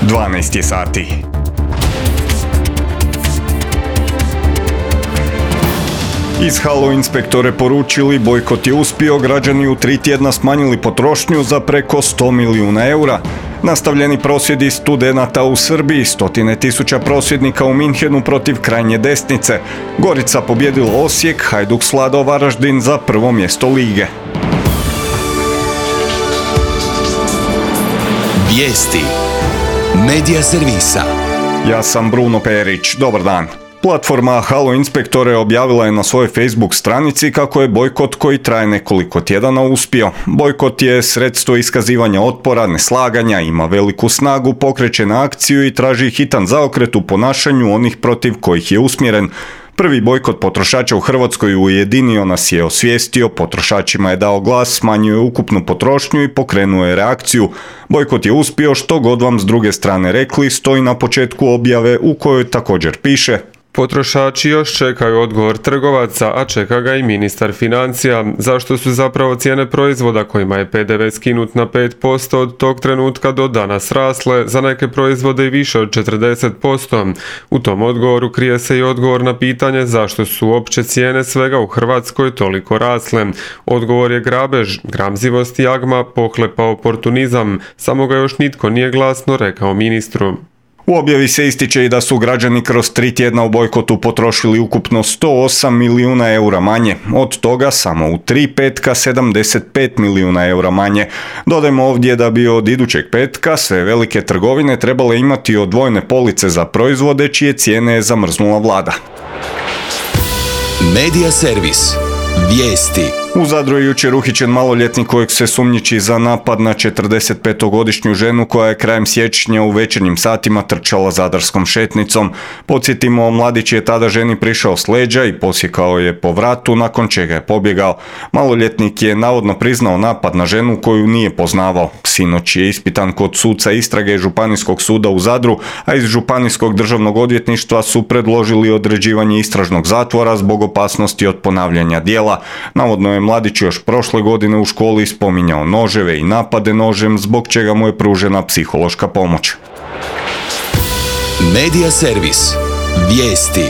12 je sati. Iz Halo inspektore poručili, bojkot je uspio, građani u 3 tjedna smanjili potrošnju za preko 100 milijuna eura. Nastavljeni prosvjedi studenata u Srbiji, 100.000 prosvjednika u Minhenu protiv krajnje desnice. Gorica pobjedila Osijek, Hajduk svladao Varaždin za prvo mjesto lige. Vijesti Medija servisa. Ja sam Bruno Perić, dobar dan. Platforma Halo inspektore objavila je na svojoj Facebook stranici kako je bojkot koji traje nekoliko tjedana uspio. Bojkot je sredstvo iskazivanja otpora, neslaganja, ima veliku snagu, pokreće na akciju i traži hitan zaokret u ponašanju onih protiv kojih je usmjeren. Prvi bojkot potrošača u Hrvatskoj ujedinio nas je, osvijestio, potrošačima je dao glas, smanjio je ukupnu potrošnju i pokrenuo je reakciju. Bojkot je uspio, što god vam s druge strane rekli, stoji na početku objave u kojoj također piše: potrošači još čekaju odgovor trgovaca, a čeka ga i ministar financija. Zašto su zapravo cijene proizvoda kojima je PDV skinut na 5% od tog trenutka do danas rasle, za neke proizvode i više od 40%? U tom odgovoru krije se i odgovor na pitanje zašto su opće cijene svega u Hrvatskoj toliko rasle. Odgovor je grabež, gramzivost i jagma, pohlepa oportunizam, samo ga još nitko nije glasno rekao ministru. U objavi se ističe i da su građani kroz 3 tjedna u bojkotu potrošili ukupno 108 milijuna eura manje. Od toga samo u 3 petka 75 milijuna eura manje. Dodajmo ovdje da bi od idućeg petka sve velike trgovine trebale imati odvojene police za proizvode čije cijene je zamrznula vlada. Medija servis. Vijesti. U Zadru je jučer uhićen maloljetnik kojeg se sumnjiči za napad na 45-godišnju ženu koja je krajem siječnja u večernjim satima trčala zadarskom šetnicom. Podsjetimo, mladić je tada ženi prišao s leđa i posjekao je po vratu, nakon čega je pobjegao. Maloljetnik je navodno priznao napad na ženu koju nije poznavao. Sinoć je ispitan kod suca istrage Županijskog suda u Zadru, a iz Županijskog državnog odvjetništva su predložili određivanje istražnog zatvora zbog opasnosti od ponavljanja djela. Navodno je mladić još prošle godine u školi spominjao noževe i napade nožem, zbog čega mu je pružena psihološka pomoć. Medija servis. Vijesti.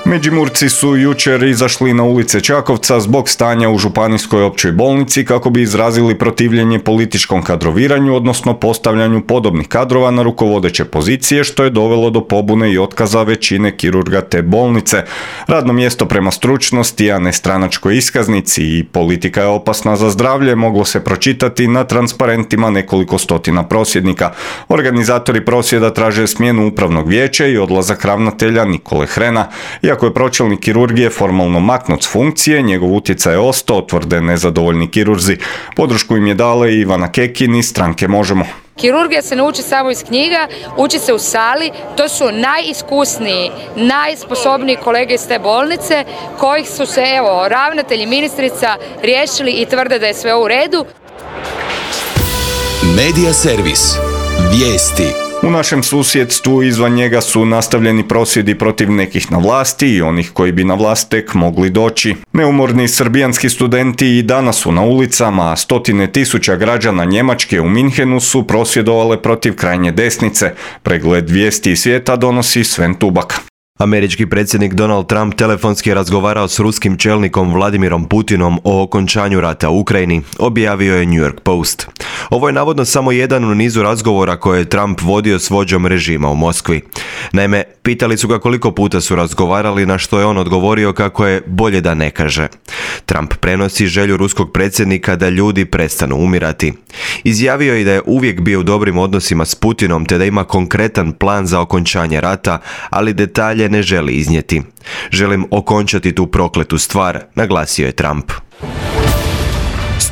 Međimurci su jučer izašli na ulice Čakovca zbog stanja u županijskoj općoj bolnici kako bi izrazili protivljenje političkom kadroviranju, odnosno postavljanju podobnih kadrova na rukovodeće pozicije, što je dovelo do pobune i otkaza većine kirurga te bolnice. Radno mjesto prema stručnosti, a ne stranačkoj iskaznici i politika je opasna za zdravlje moglo se pročitati na transparentima nekoliko stotina prosvjednika. Organizatori prosvjeda traže smjenu upravnog vijeća i odlazak ravnatelja Nikole Hrena. Iako je pročelnik kirurgije formalno maknut s funkcije, njegov utjecaj je ostao, tvrde nezadovoljni kirurzi. Podršku im je dala i Ivana Kekin iz stranke Možemo. Kirurgija se ne uči samo iz knjiga, uči se u sali, to su najiskusniji, najsposobniji kolege iz te bolnice, kojih su se, ravnatelj i ministrica riješili i tvrde da je sve u redu. Medija servis. Vijesti. U našem susjedstvu izvan njega su nastavljeni prosvjedi protiv nekih na vlasti i onih koji bi na vlast tek mogli doći. Neumorni srbijanski studenti i danas su na ulicama, a 100.000 građana Njemačke u Minhenu su prosvjedovale protiv krajnje desnice. Pregled vijesti iz svijeta donosi Sven Tubak. Američki predsjednik Donald Trump telefonski je razgovarao s ruskim čelnikom Vladimirom Putinom o okončanju rata u Ukrajini, objavio je New York Post. Ovo je navodno samo jedan u nizu razgovora koje je Trump vodio s vođom režima u Moskvi. Naime, pitali su ga koliko puta su razgovarali, na što je on odgovorio kako je bolje da ne kaže. Trump prenosi želju ruskog predsjednika da ljudi prestanu umirati. Izjavio je da je uvijek bio u dobrim odnosima s Putinom te da ima konkretan plan za okončanje rata, ali detalje ne želi iznijeti. Želim okončati tu prokletu stvar, naglasio je Trump.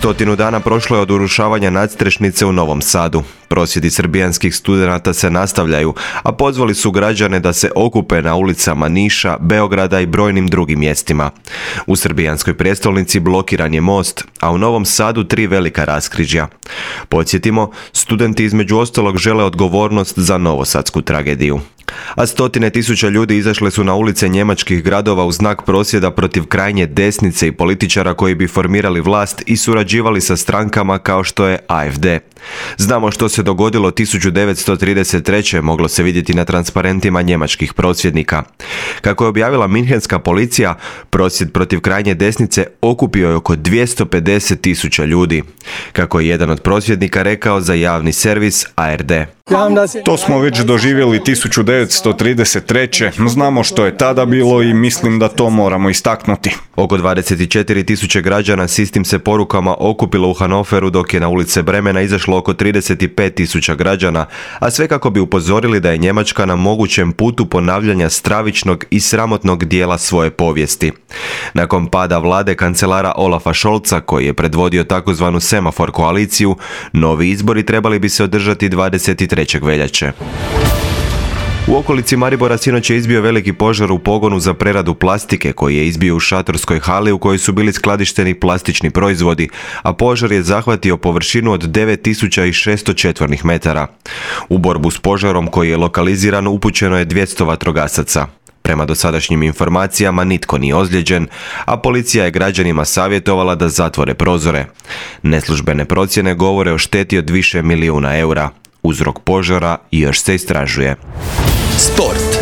100 dana prošlo je od urušavanja nadstrešnice u Novom Sadu. Prosvjedi srbijanskih studenata se nastavljaju, a pozvali su građane da se okupe na ulicama Niša, Beograda i brojnim drugim mjestima. U srbijanskoj prijestolnici blokiran je most, a u Novom Sadu 3 velika raskrižja. Podsjetimo, studenti između ostalog žele odgovornost za novosadsku tragediju. A stotine tisuća ljudi izašle su na ulice njemačkih gradova u znak prosvjeda protiv krajnje desnice i političara koji bi formirali vlast i surađivali sa strankama kao što je AfD. Znamo što se dogodilo 1933. moglo se vidjeti na transparentima njemačkih prosvjednika. Kako je objavila minhenska policija, prosvjed protiv krajnje desnice okupio je oko 250.000 ljudi. Kako je jedan od prosvjednika rekao za javni servis ARD. To smo već doživjeli 1933. Znamo što je tada bilo i mislim da to moramo istaknuti. Oko 24.000 građana s istim se porukama okupilo u Hanoveru, dok je na ulice Bremena izašlo oko 35.000 građana, a sve kako bi upozorili da je Njemačka na mogućem putu ponavljanja stravičnog i sramotnog dijela svoje povijesti. Nakon pada vlade kancelara Olafa Scholza, koji je predvodio takozvanu semafor koaliciju, novi izbori trebali bi se održati 23. veljače. U okolici Maribora sinoć je izbio veliki požar u pogonu za preradu plastike koji je izbio u šatorskoj hali u kojoj su bili skladišteni plastični proizvodi, a požar je zahvatio površinu od 9600 četvornih metara. U borbu s požarom koji je lokaliziran upućeno je 200 vatrogasaca. Prema dosadašnjim informacijama nitko nije ozlijeđen, a policija je građanima savjetovala da zatvore prozore. Neslužbene procjene govore o šteti od više milijuna eura. Uzrok požara još se istražuje. Sport.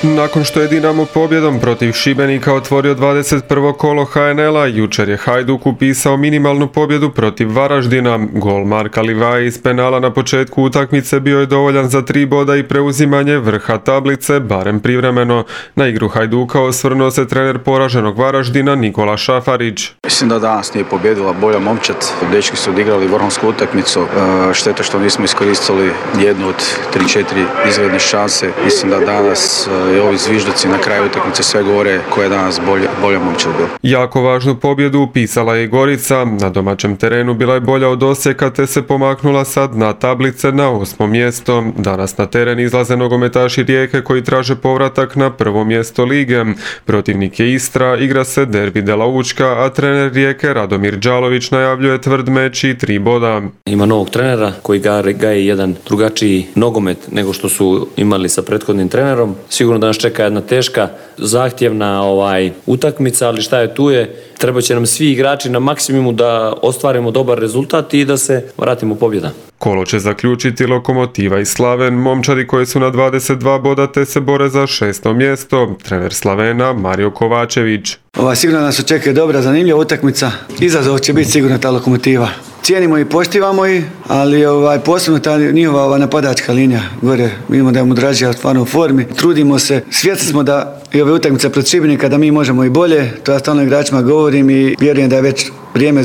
Nakon što je Dinamo pobjedom protiv Šibenika otvorio 21. kolo HNL-a, jučer je Hajduk upisao minimalnu pobjedu protiv Varaždina. Gol Marka Livaje iz penala na početku utakmice bio je dovoljan za 3 boda i preuzimanje vrha tablice, barem privremeno. Na igru Hajduka osvrnuo se trener poraženog Varaždina Nikola Šafarić. Mislim da danas nije pobjedila bolja momčad. Dečki su odigrali vrhunsku utakmicu. Šteta što nismo iskoristili jednu od 3-4 izgledne šanse. Mislim da danas i ovi zvižduci na kraju utakmice sve govore koja je danas bolja momčad bila. Jako važnu pobjedu upisala je i Gorica. Na domaćem terenu bila je bolja od Osijeka te se pomaknula sa dna tablice na 8. mjesto. Danas na teren izlaze nogometaši Rijeke koji traže povratak na 1. mjesto lige. Protivnik je Istra, igra se derbi Dela Učka, a trener Rijeke Radomir Đalović najavljuje tvrd meč i 3 boda. Ima novog trenera koji gaje jedan drugačiji nogomet nego što su imali sa prethodnim trenerom. Sigurno da nas čeka jedna teška, zahtjevna utakmica, ali šta je tu je. Treba će nam svi igrači na maksimumu da ostvarimo dobar rezultat i da se vratimo pobjeda. Kolo će zaključiti Lokomotiva i Slaven, momčadi koji su na 22 boda te se bore za 6. mjesto. Trener Slavena Mario Kovačević. Sigurno nas očekuje dobra, zanimljiva utakmica. Izazov će biti sigurno ta Lokomotiva. Cijenimo i poštivamo ih, ali posebno ta njihova napadačka linija gore. Vidimo da je Mudražija stvarno u formi. Trudimo se, svjesni smo da i ove utakmice protiv Šibenika da mi možemo i bolje. To ja stalno igračima govorim i vjerujem da je već vrijeme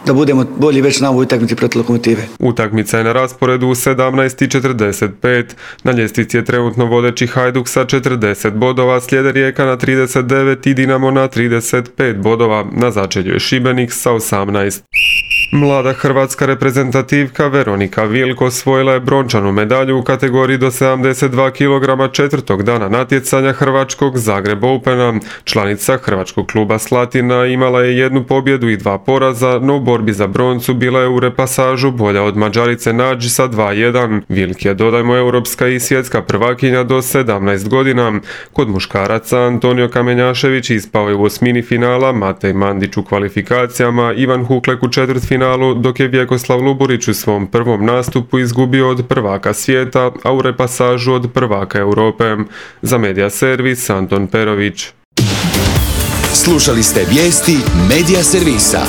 da budemo bolji već na ovoj utakmici protiv Lokomotive. Utakmica je na rasporedu u 17:45. Na ljestvici je trenutno vodeći Hajduk sa 40 bodova, slijede Rijeka na 39 i Dinamo na 35 bodova. Na začelju je Šibenik sa 18. Mlada hrvatska reprezentativka Veronika Vilko osvojila je brončanu medalju u kategoriji do 72 kg četvrtog dana natjecanja hrvačkog Zagreb Opena. Članica hrvačkog kluba Slatina imala je 1 pobjedu i 2 poraza, no u borbi za broncu bila je u repasažu bolja od Mađarice Nađi sa 2:1. Vilk je, dodajmo, europska i svjetska prvakinja do 17 godina. Kod muškaraca Antonio Kamenjašević ispao je u osmini finala, Matej Mandić u kvalifikacijama, Ivan Huklek u četvrtfinalu, dok je Vjekoslav Luburić u svom prvom nastupu izgubio od prvaka svijeta, a u repasažu od prvaka Europe. Za Medija servis Anton Perović. Slušali ste vijesti Medija servisa.